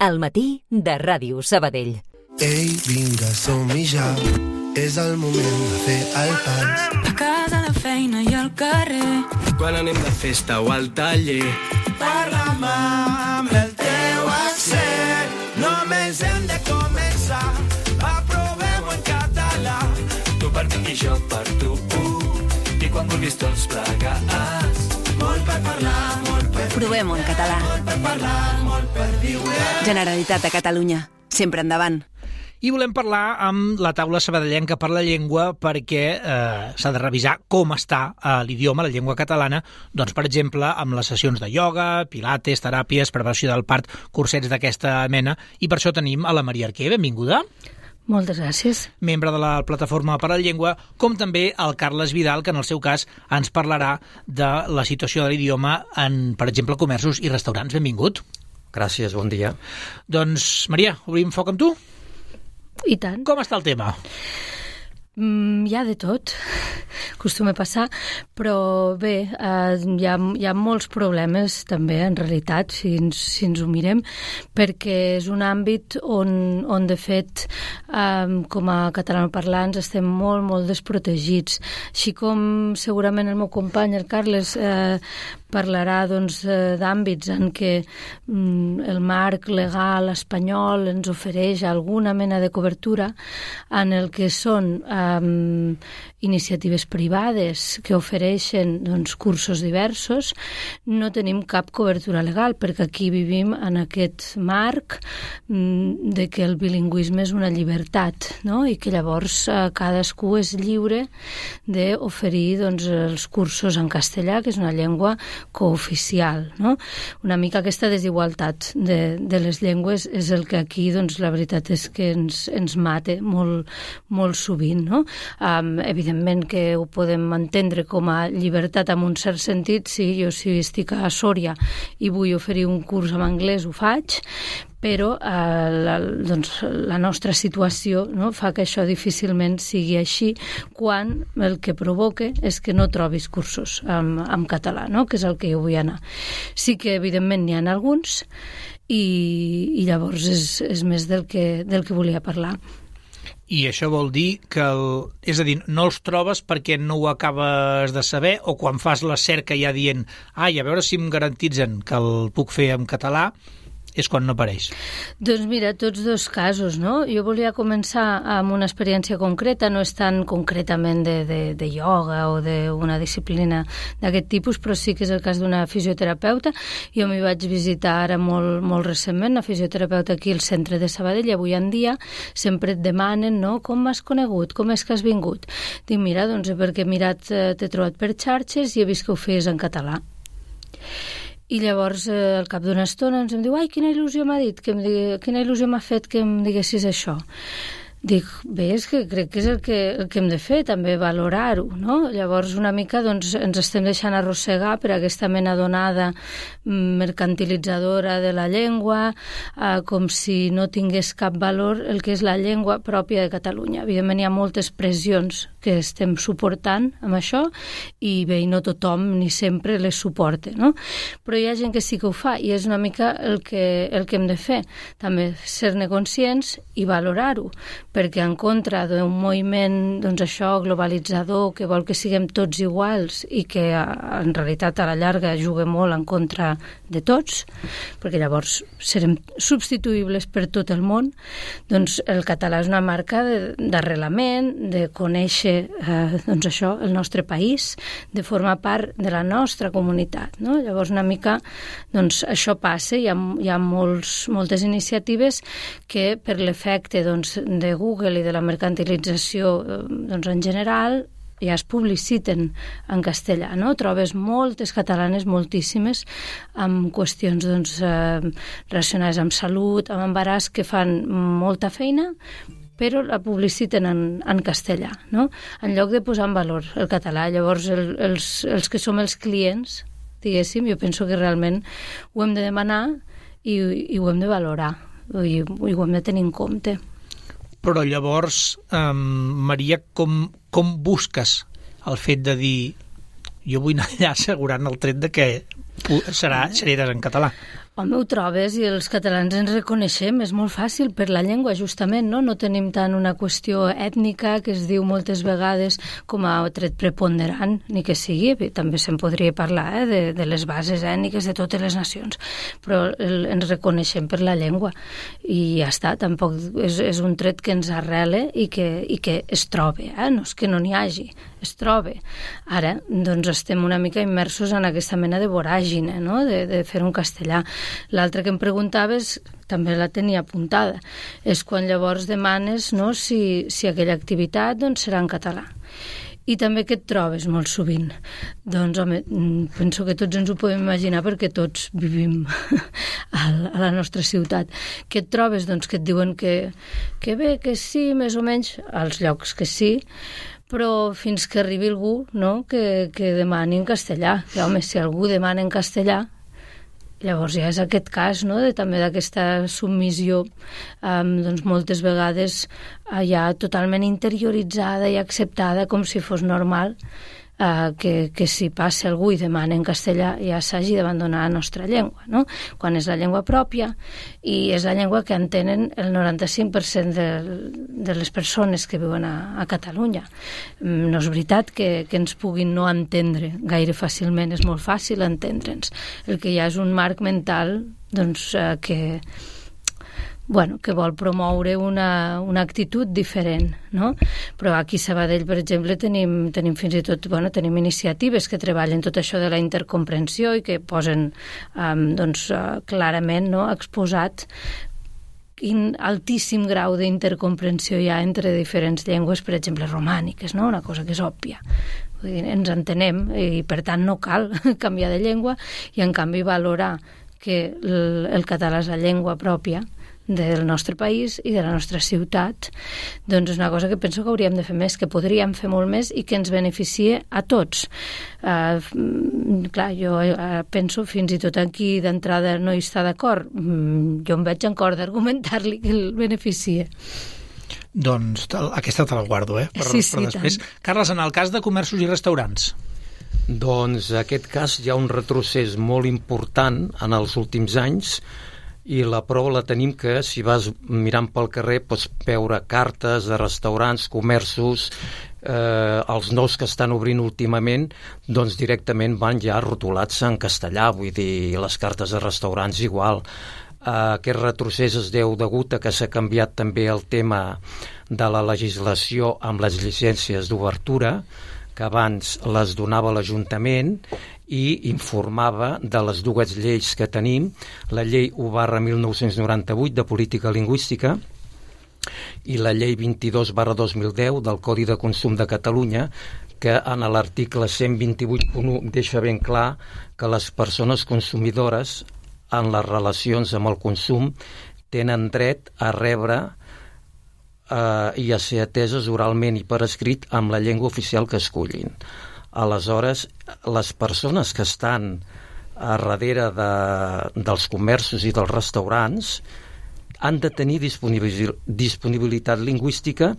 Al matí de Ràdio Sabadell. Ei, vinga, som-hi ja. És el moment de fer el pas. A casa, la feina i al carrer. Quan anem de festa o al taller. Parla'm amb el teu accent. Només hem de començar. Aprovem-ho en català. Tu per mi i jo per tu. I quan vulguis tots plegats. Molt per parlar, molt per... Provem-ho en català. Molt per parlar, molt per viure. Generalitat de Catalunya. Sempre endavant. I volem parlar amb la taula sabadellenca per la llengua perquè s'ha de revisar com està l'idioma, la llengua catalana, doncs, per exemple, amb les sessions de ioga, pilates, teràpies, preparació del part, cursets d'aquesta mena, i per això tenim a la Maria Arquer. Benvinguda. Moltes gràcies. Membre de la Plataforma per la Llengua, com també el Carles Vidal, que en el seu cas ens parlarà de la situació de l'idioma en, per exemple, comerços i restaurants. Benvingut. Gràcies, bon dia. Doncs, Maria, obrim foc amb tu? I tant. Com està el tema? Hi ha de tot, acostuma a passar, però bé, hi ha molts problemes també, en realitat, si ens ho mirem, perquè és un àmbit on de fet, com a catalanoparlants, estem molt, molt desprotegits. Així com segurament el meu company, el Carles, parlarà doncs, d'àmbits en què el marc legal espanyol ens ofereix alguna mena de cobertura, en el que són iniciatives privades que ofereixen doncs, cursos diversos, no tenim cap cobertura legal, perquè aquí vivim en aquest marc de que el bilingüisme és una llibertat, no? I que llavors cadascú és lliure d'oferir doncs, els cursos en castellà, que és una llengua cooficial, no? Una mica aquesta desigualtat de les llengües és el que aquí, doncs, la veritat és que ens mata molt, molt sovint, no? Evidentment que ho podem entendre com a llibertat en un cert sentit. Si estic a Sòria i vull oferir un curs en anglès, ho faig, però la nostra situació, no, fa que això difícilment sigui així, quan el que provoca és que no trobis cursos en català, no? Que és el que jo vull anar. Sí que evidentment n'hi ha alguns i llavors és més del que volia parlar. I això vol dir que, és a dir, no els trobes perquè no ho acabes de saber, o quan fas la cerca ja dient a veure si em garantitzen que el puc fer en català, és quan no apareix. Doncs mira, tots dos casos, no? Jo volia començar amb una experiència concreta, no és tan concretament de ioga o d'una disciplina d'aquest tipus, però sí que és el cas d'una fisioterapeuta. Jo m'hi vaig visitar ara molt, molt recentment, una fisioterapeuta aquí al centre de Sabadell, i avui en dia sempre et demanen, no?, com m'has conegut, com és que has vingut? Dic, mira, doncs perquè t'he trobat per xarxes i he vist que ho feies en català. I llavors, al cap d'una estona, em diu, quina il·lusió m'ha dit, quina il·lusió m'ha fet que em diguessis això. Dic, bé, és que crec que és el que hem de fer, també valorar-ho, no? Llavors, una mica, doncs, ens estem deixant arrossegar per aquesta mena d'onada mercantilitzadora de la llengua, com si no tingués cap valor el que és la llengua pròpia de Catalunya. Evidentment, hi ha moltes pressions que estem suportant amb això, i bé, no tothom ni sempre les suporta, no? Però hi ha gent que sí que ho fa, i és una mica el que hem de fer. També ser-ne conscients i valorar-ho, perquè en contra d'un moviment, doncs això, globalitzador, que vol que siguem tots iguals i que en realitat a la llarga juga molt en contra de tots, perquè llavors serem substituïbles per tot el món, doncs el català és una marca d'arrelament, de conèixer doncs això, el nostre país, de formar part de la nostra comunitat, no? Llavors una mica doncs això passa, hi ha moltes iniciatives que per l'efecte doncs, de Google i de la mercantilització doncs, en general ja es publiciten en castellà, no? Trobes moltes catalanes, moltíssimes, amb qüestions doncs, relacionades amb salut, amb embaràs, que fan molta feina, però la publiciten en castellà, no? En lloc de posar en valor el català. Llavors, els que som els clients, diguéssim, jo penso que realment ho hem de demanar i ho hem de valorar, i ho hem de tenir en compte. Però llavors, Maria, com busques el fet de dir jo vull anar allà assegurant el tret de que seràs en català? Home, ho trobes i els catalans ens reconeixem, és molt fàcil per la llengua, justament, no? No tenim tant una qüestió ètnica que es diu moltes vegades com a tret preponderant, ni que sigui, també se'n podria parlar de les bases ètniques de totes les nacions, però ens reconeixem per la llengua i ja està, tampoc és un tret que ens arrele i que es trobe, no és que no n'hi hagi, es trobe. Ara, doncs, estem una mica immersos en aquesta mena de voràgine, no? De fer un castellà. L'altre que em preguntaves, també la tenia apuntada, és quan llavors demanes, no, si aquella activitat doncs, serà en català. I també què et trobes molt sovint? Doncs, home, penso que tots ens ho podem imaginar perquè tots vivim a la nostra ciutat. Què et trobes? Doncs que et diuen que bé, que sí, més o menys, als llocs que sí, però fins que arribi algú, no?, que demani en castellà. Que, home, si algú demana en castellà, llavors ja és aquest cas, no?, també d'aquesta submissió, doncs moltes vegades ja totalment interioritzada i acceptada com si fos normal que si passa algú i demana en castellà ja s'hagi d'abandonar la nostra llengua, no? Quan és la llengua pròpia i és la llengua que entenen el 95% de les persones que viuen a Catalunya. No és veritat que ens puguin no entendre gaire fàcilment, és molt fàcil entendre'ns. El que hi ha és un marc mental doncs, que vol promoure una actitud diferent, no? Però aquí a Sabadell, per exemple, tenim fins i tot, tenim iniciatives que treballen tot això de la intercomprensió i que posen clarament, no?, exposat quin altíssim grau d'intercomprensió hi ha entre diferents llengües, per exemple, romàniques, no? Una cosa que és òbvia. Vull dir, ens entenem i, per tant, no cal canviar de llengua i, en canvi, valorar que el català és la llengua pròpia del nostre país i de la nostra ciutat, doncs és una cosa que penso que hauríem de fer més, que podríem fer molt més i que ens beneficie a tots. Clar, jo penso fins i tot aquí d'entrada no hi està d'acord. Jo em veig en cor d'argumentar-li que el beneficie. Doncs aquesta te la guardo, per després. Tant. Carles, en el cas de comerços i restaurants? Doncs en aquest cas hi ha un retrocés molt important en els últims anys i la prova la tenim que si vas mirant pel carrer pots veure cartes de restaurants, comerços, els nous que estan obrint últimament, doncs directament van ja rotulats en castellà, vull dir, les cartes de restaurants igual. Aquest retrocés es deu degut a que s'ha canviat també el tema de la legislació amb les llicències d'obertura, que abans les donava l'Ajuntament i informava de les dues lleis que tenim, la llei 1/1998 de política lingüística i la llei 22/2010 del Codi de Consum de Catalunya, que en l'article 128.1 deixa ben clar que les persones consumidores en les relacions amb el consum tenen dret a rebre i a ser ateses oralment i per escrit amb la llengua oficial que escollin. Aleshores, les persones que estan a darrere dels comerços i dels restaurants han de tenir disponibilitat lingüística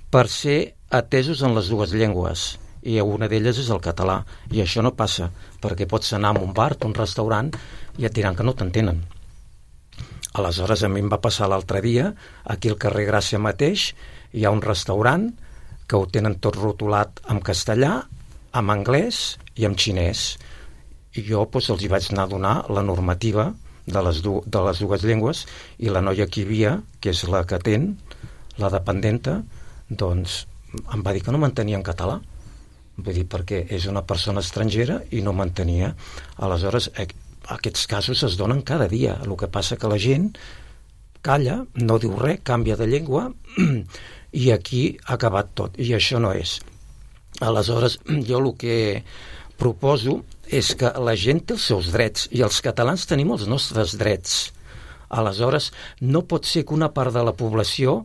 per ser atesos en les dues llengües, i una d'elles és el català, i això no passa, perquè pots anar a un bar, a un restaurant, i et diran que no t'entenen. Aleshores, a mi em va passar l'altre dia, aquí al carrer Gràcia mateix, hi ha un restaurant que ho tenen tot rotulat en castellà, en anglès i en xinès. I jo els hi vaig anar a donar la normativa de les dues llengües i la noia que hi havia, que és la que atén, la dependenta, doncs em va dir que no m'entenia en català. Vull dir, perquè és una persona estrangera i no m'entenia. Aleshores, aquests casos es donen cada dia. El que passa que la gent calla, no diu res, canvia de llengua i aquí ha acabat tot. I això no és. Aleshores, jo el que proposo és que la gent té els seus drets i els catalans tenim els nostres drets. Aleshores, no pot ser que una part de la població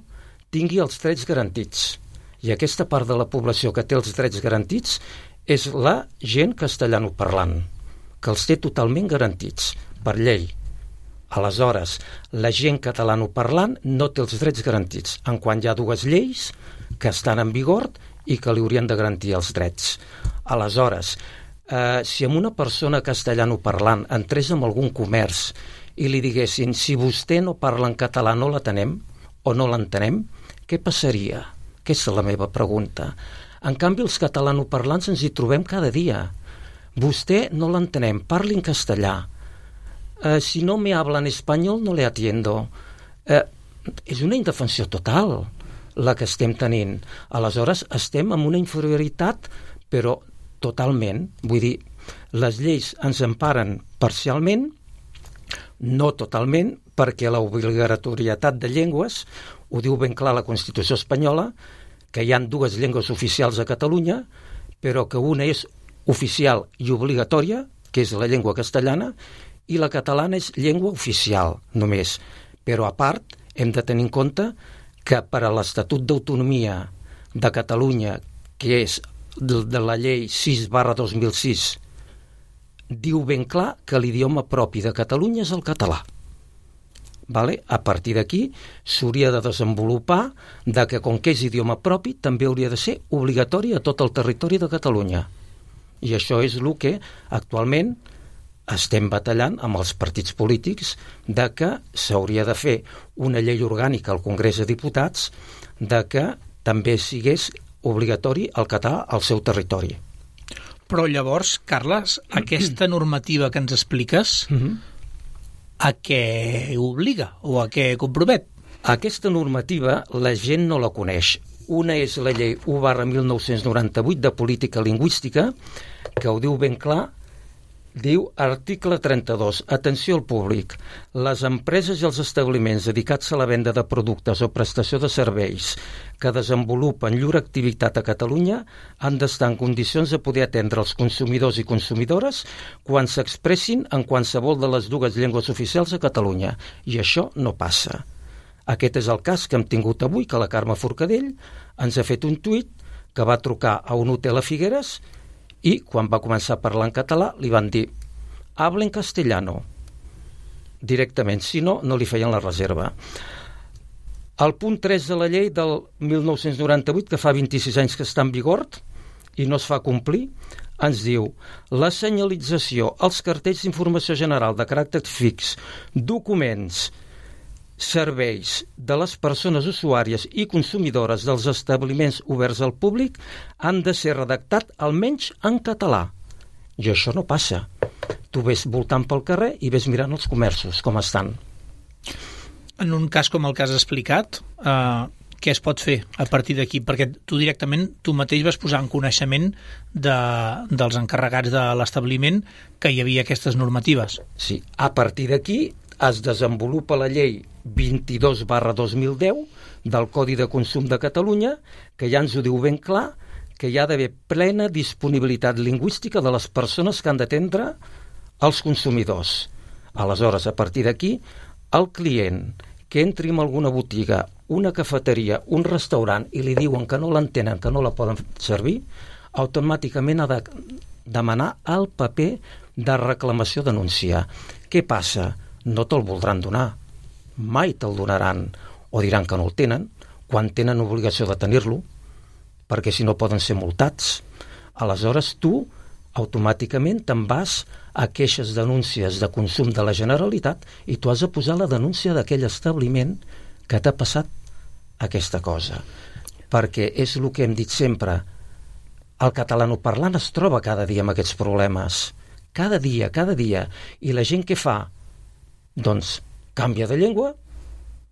tingui els drets garantits. I aquesta part de la població que té els drets garantits és la gent castellanoparlant, que els té totalment garantits per llei. Aleshores, la gent catalanoparlant no té els drets garantits, en quan hi ha dues lleis que estan en vigor i que li haurien de garantir els drets. Aleshores, si amb una persona castellanoparlant entrés en algun comerç i li diguessin si vostè no parla en català no l'atenem o no l'entenem, què passaria? Aquesta és la meva pregunta. En canvi, els catalanoparlants ens hi trobem cada dia. Vostè no l'entenem, parli en castellà. Si no me habla en espanyol no le atiendo. És una indefensió total la que estem tenint. Aleshores, estem en una inferioritat, però totalment. Vull dir, les lleis ens emparen parcialment, no totalment, perquè l'obligatorietat de llengües, ho diu ben clar la Constitució espanyola, que hi ha 2 llengües oficials a Catalunya, però que una és oficial i obligatòria, que és la llengua castellana, i la catalana és llengua oficial, només. Però, a part, hem de tenir en compte que per a l'Estatut d'Autonomia de Catalunya, que és de la llei 6/2006, diu ben clar que l'idioma propi de Catalunya és el català. Vale? A partir d'aquí s'hauria de desenvolupar que, com que és idioma propi, també hauria de ser obligatori a tot el territori de Catalunya. I això és el que actualment estem batallant amb els partits polítics, de que s'hauria de fer una llei orgànica al Congrés de Diputats de que també sigués obligatori el català al seu territori. Però llavors, Carles, aquesta normativa que ens expliques, a què obliga o a què compromet? Aquesta normativa la gent no la coneix. Una és la llei 1/1998 de política lingüística, que ho diu ben clar, diu article 32, atenció al públic. Les empreses i els establiments dedicats a la venda de productes o prestació de serveis que desenvolupen llur activitat a Catalunya han d'estar en condicions de poder atendre els consumidors i consumidores quan s'expressin en qualsevol de les 2 llengües oficials a Catalunya. I això no passa. Aquest és el cas que hem tingut avui, que la Carme Forcadell ens ha fet un tuit que va trucar a un hotel a Figueres i quan va començar a parlar en català li van dir habla en castellano directament, si no, no li feien la reserva. El punt 3 de la llei del 1998, que fa 26 anys que està en vigor i no es fa complir, ens diu la senyalització, els cartells d'informació general de caràcter fix, documents, serveis de les persones usuàries i consumidores dels establiments oberts al públic han de ser redactat almenys en català. I això no passa. Tu ves voltant pel carrer i ves mirant els comerços, com estan. En un cas com el que has explicat, què es pot fer a partir d'aquí? Perquè tu mateix vas posar en coneixement dels encarregats de l'establiment que hi havia aquestes normatives. Sí, a partir d'aquí es desenvolupa la llei 22/2010 del Codi de Consum de Catalunya, que ja ens ho diu ben clar, que hi ha d'haver plena disponibilitat lingüística de les persones que han d'atendre els consumidors. Aleshores, a partir d'aquí, el client que entri en alguna botiga, una cafeteria, un restaurant i li diuen que no l'entenen, que no la poden servir, automàticament ha de demanar el paper de reclamació-denúncia. Què passa? No te'l voldran donar. Mai te'l donaran. O diran que no el tenen, quan tenen obligació de tenir-lo, perquè si no poden ser multats. Aleshores, tu automàticament te'n vas a queixes, denúncies de consum de la Generalitat i tu has de posar la denúncia d'aquell establiment que t'ha passat aquesta cosa. Perquè és el que hem dit sempre, el catalanoparlant es troba cada dia amb aquests problemes. Cada dia. I la gent què fa? Doncs canvia de llengua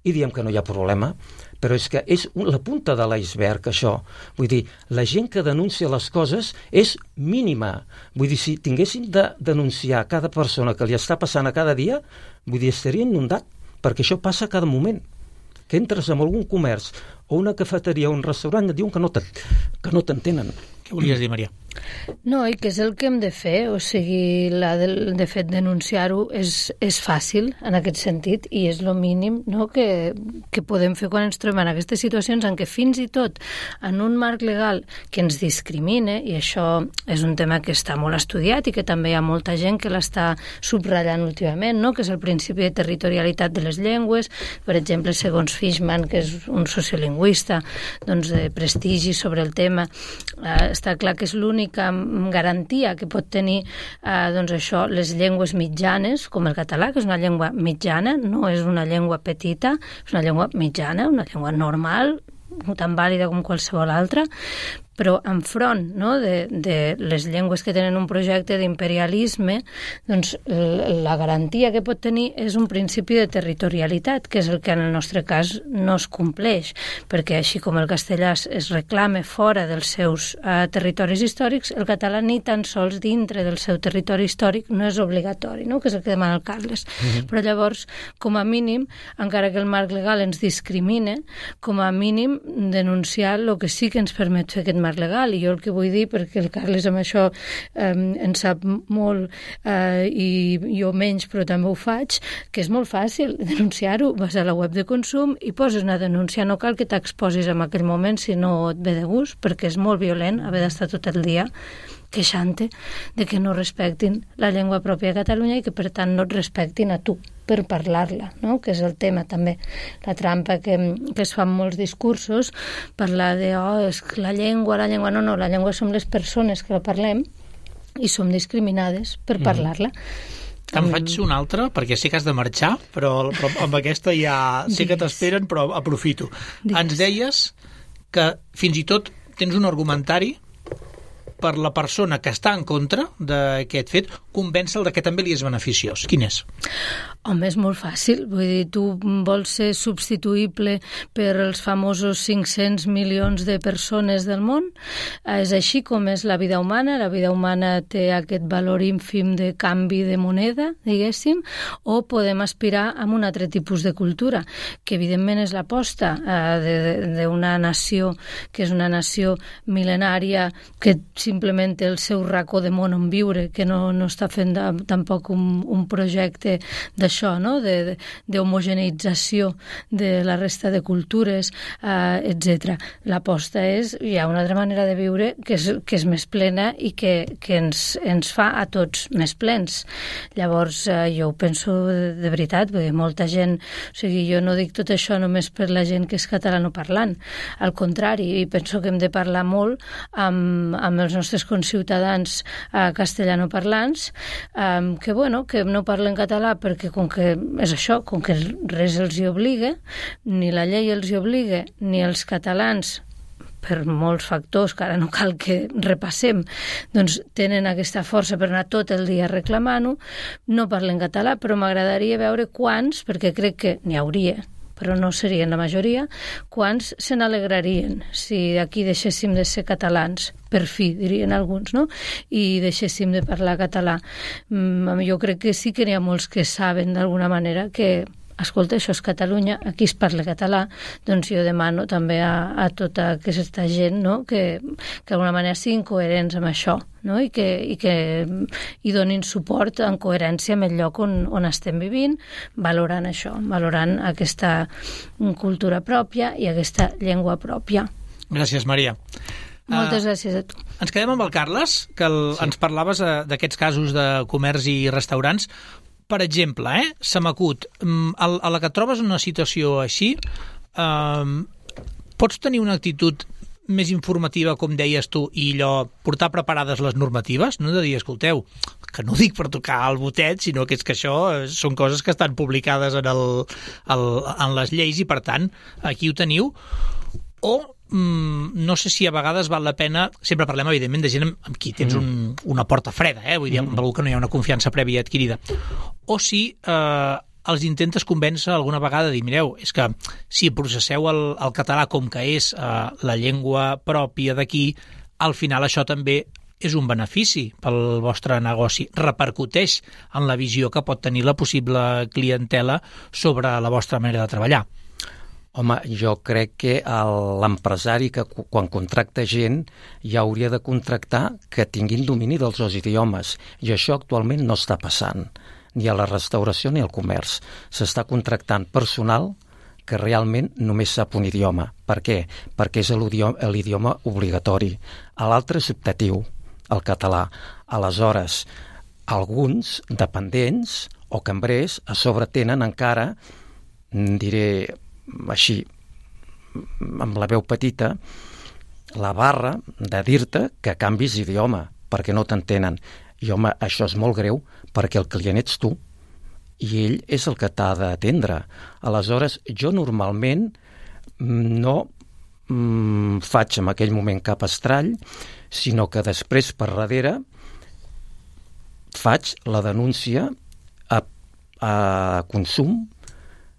i diem que no hi ha problema. Però és que és la punta de l'iceberg, això. Vull dir, la gent que denuncia les coses és mínima. Vull dir, si tinguessin de denunciar cada persona que li està passant a cada dia, vull dir, estaria inundat, perquè això passa a cada moment. Que entres en algun comerç o una cafeteria o un restaurant et diuen que no t'entenen. Què volies dir, Maria? No, i què és el que hem de fer? O sigui, de fet, denunciar-ho és fàcil en aquest sentit i és el mínim, no?, que podem fer quan ens trobem en aquestes situacions en què fins i tot en un marc legal que ens discrimine, i això és un tema que està molt estudiat i que també hi ha molta gent que l'està subratllant últimament, no?, que és el principi de territorialitat de les llengües, per exemple, segons Fishman, que és un sociolingüista lingüista de prestigi sobre el tema. Està clar que és l'única garantia que pot tenir això, les llengües mitjanes, com el català, que és una llengua mitjana, no és una llengua petita, és una llengua mitjana, una llengua normal, tan vàlida com qualsevol altra, però enfront de les llengües que tenen un projecte d'imperialisme, doncs la garantia que pot tenir és un principi de territorialitat, que és el que en el nostre cas no es compleix, perquè així com el castellà es reclama fora dels seus territoris històrics, el català ni tan sols dintre del seu territori històric no és obligatori, que és el que demana el Carles. Però llavors, com a mínim, encara que el marc legal ens discrimina, com a mínim denunciar el que sí que ens permet fer aquest marc legal, i jo el que vull dir, perquè el Carles amb això en sap molt i jo menys, però també ho faig, que és molt fàcil denunciar-ho, vas a la web de consum i poses una denúncia, no cal que t'exposis en aquell moment si no et ve de gust, perquè és molt violent haver d'estar tot el dia queixant-te de que no respectin la llengua pròpia de Catalunya i que per tant no et respectin a tu per parlar-la, que és el tema també, la trampa que es fa en molts discursos, parlar de és que la llengua, no, la llengua som les persones que la parlem i som discriminades per parlar-la. Te'n faig una altra, perquè sé que has de marxar, però amb aquesta ja sé que t'esperen, però aprofito. Ens deies que fins i tot tens un argumentari per la persona que està en contra d'aquest fet, convèncer-el que també li és beneficiós. Quin és? Home, és molt fàcil. Vull dir, tu vols ser substituïble per els famosos 500 milions de persones del món? És així com és la vida humana. La vida humana té aquest valor ínfim de canvi de moneda, diguéssim, o podem aspirar a un altre tipus de cultura, que evidentment és l'aposta d'una nació que és una nació mil·lenària que simplement té el seu racó de món on viure, que no està fent tampoc un projecte d'això, d'homogeneïtzació de la resta de cultures, etc. L'aposta és, hi ha una altra manera de viure que és més plena i que ens fa a tots més plens. Llavors, jo ho penso de veritat, vull dir, molta gent, o sigui, jo no dic tot això només per la gent que és catalanoparlant, al contrari, i penso que hem de parlar molt amb els nostres conciutadans castellanoparlants, que no parlen català perquè com que és això, com que res els hi obliga, ni la llei els hi obliga, ni els catalans, per molts factors que ara no cal que repassem, doncs tenen aquesta força per anar tot el dia reclamant-ho, no parlen català, però m'agradaria veure quants, perquè crec que n'hi hauria, però no serien la majoria, quants se n'alegrarien si aquí deixéssim de ser catalans, per fi, dirien alguns, no? I deixéssim de parlar català. Jo crec que sí que n'hi ha molts que saben d'alguna manera que escolta, això és Catalunya, aquí es parla català, doncs jo demano també a tota aquesta gent, no?, que d'alguna manera siguin coherents amb això, no?, i que hi donin suport en coherència amb el lloc on estem vivint, valorant això, valorant aquesta cultura pròpia i aquesta llengua pròpia. Gràcies, Maria. Moltes gràcies a tu. Ens quedem amb el Carles, que ens parlaves d'aquests casos de comerç i restaurants. Per exemple, se m'acut, a la que et trobes en una situació així, pots tenir una actitud més informativa, com deies tu, i allò, portar preparades les normatives, no de dir, escolteu, que no dic per tocar el botet, sinó que és que això són coses que estan publicades en les lleis i, per tant, aquí ho teniu. O no sé si a vegades val la pena, sempre parlem evidentment de gent amb qui tens una porta freda, vull dir, amb algú que no hi ha una confiança prèvia adquirida, o si els intentes convèncer alguna vegada de dir, mireu, és que si processeu el català com que és la llengua pròpia d'aquí, al final això també és un benefici pel vostre negoci, repercuteix en la visió que pot tenir la possible clientela sobre la vostra manera de treballar. Home, jo crec que l'empresari que quan contracta gent ja hauria de contractar que tinguin domini dels dos idiomes, i això actualment no està passant, ni a la restauració ni al comerç. S'està contractant personal que realment només sap un idioma. Per què? Perquè és l'idioma obligatori. L'altre és optatiu, el català. Aleshores, alguns dependents o cambrers a sobre tenen encara, diré així, amb la veu petita, la barra de dir-te que canvis d'idioma, perquè no t'entenen. I, home, això és molt greu, perquè el client ets tu, i ell és el que t'ha d'atendre. Aleshores, jo normalment no faig en aquell moment cap estrall, sinó que després, per darrere, faig la denúncia a Consum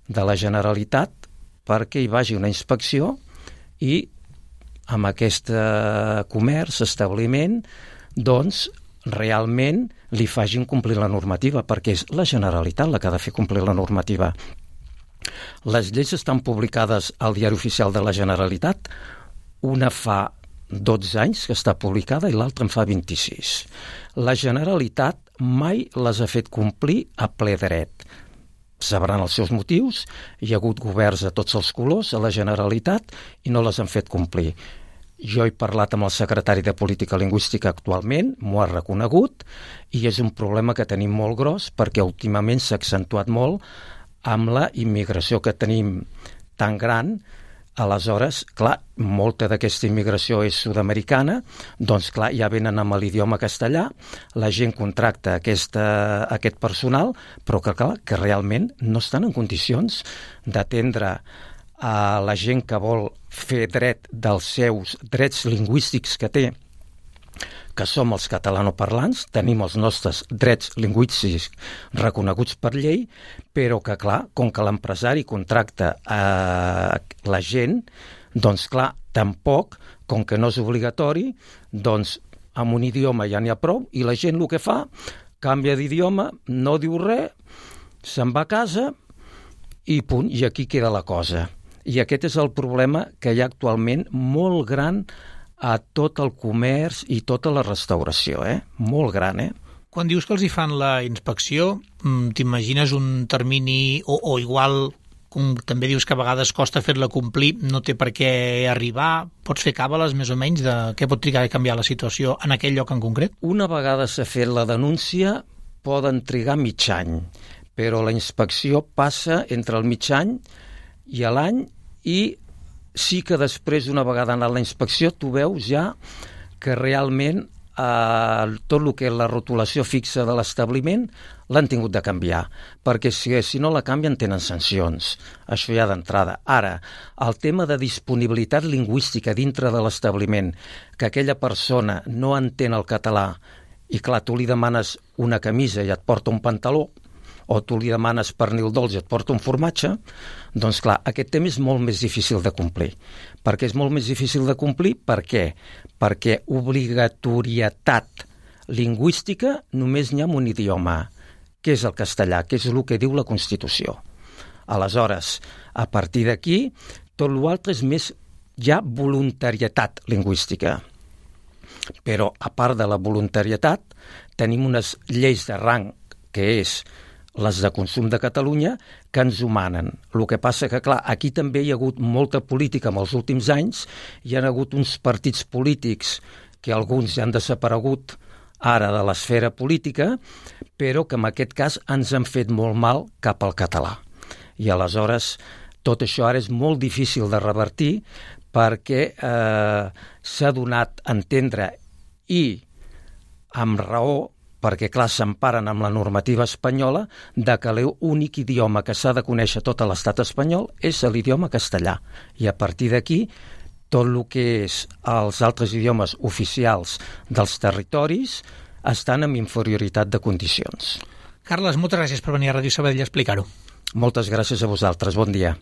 de la Generalitat perquè hi vagi una inspecció i amb aquest comerç, establiment, doncs realment li facin complir la normativa, perquè és la Generalitat la que ha de fer complir la normativa. Les lleis estan publicades al Diari Oficial de la Generalitat, una fa 12 anys que està publicada i l'altra en fa 26. La Generalitat mai les ha fet complir a ple dret. Sabran els seus motius, hi ha hagut governs de tots els colors a la Generalitat i no les han fet complir. Jo he parlat amb el secretari de Política Lingüística actualment, m'ho ha reconegut, i és un problema que tenim molt gros perquè últimament s'ha accentuat molt amb la immigració que tenim tan gran. Aleshores, clar, molta d'aquesta immigració és sud-americana, doncs clar, ja venen amb l'idioma castellà, la gent contracta aquest personal, però que clar, que realment no estan en condicions d'atendre a la gent que vol fer dret dels seus drets lingüístics que té, que som els catalanoparlants, tenim els nostres drets lingüístics reconeguts per llei, però que, clar, com que l'empresari contracta la gent, doncs, clar, tampoc, com que no és obligatori, doncs, amb un idioma ja n'hi ha prou, i la gent el que fa, canvia d'idioma, no diu res, se'n va a casa, i punt, i aquí queda la cosa. I aquest és el problema que hi ha actualment molt gran a tot el comerç i tota la restauració, molt gran, Quan dius que els hi fan la inspecció, t'imagines un termini o igual, com també dius que a vegades costa fer-la complir, no té per què arribar, pots fer càbales més o menys de què pot trigar a canviar la situació en aquell lloc en concret? Una vegada s'ha fet la denúncia poden trigar mig any, però la inspecció passa entre el mig any i l'any i sí que després, una vegada anat la inspecció, tu veus ja que realment tot el que és la rotulació fixa de l'establiment l'han tingut de canviar, perquè si no la canvien tenen sancions. Això ja d'entrada. Ara, el tema de disponibilitat lingüística dintre de l'establiment, que aquella persona no entén el català i clar, tu li demanes una camisa i et porta un pantaló, o tu li demanes pernil dolç i et porta un formatge, doncs clar, aquest tema és molt més difícil de complir. Per què és molt més difícil de complir? Per què? Perquè obligatorietat lingüística només n'hi ha un idioma, que és el castellà, que és el que diu la Constitució. Aleshores, a partir d'aquí, tot l'altre és més ja voluntarietat lingüística. Però, a part de la voluntarietat, tenim unes lleis de rang, que és les de Consum de Catalunya, que ens ho manen. El que passa que, clar, aquí també hi ha hagut molta política en els últims anys, hi ha hagut uns partits polítics que alguns ja han desaparegut ara de l'esfera política, però que en aquest cas ens han fet molt mal cap al català. I aleshores tot això ara és molt difícil de revertir perquè s'ha donat a entendre i amb raó, perquè, clar, s'emparen amb la normativa espanyola de que l'únic idioma que s'ha de conèixer tot l'estat espanyol és l'idioma castellà. I a partir d'aquí, tot el que és els altres idiomes oficials dels territoris estan en inferioritat de condicions. Carles, moltes gràcies per venir a Ràdio Sabadell a explicar-ho. Moltes gràcies a vosaltres. Bon dia.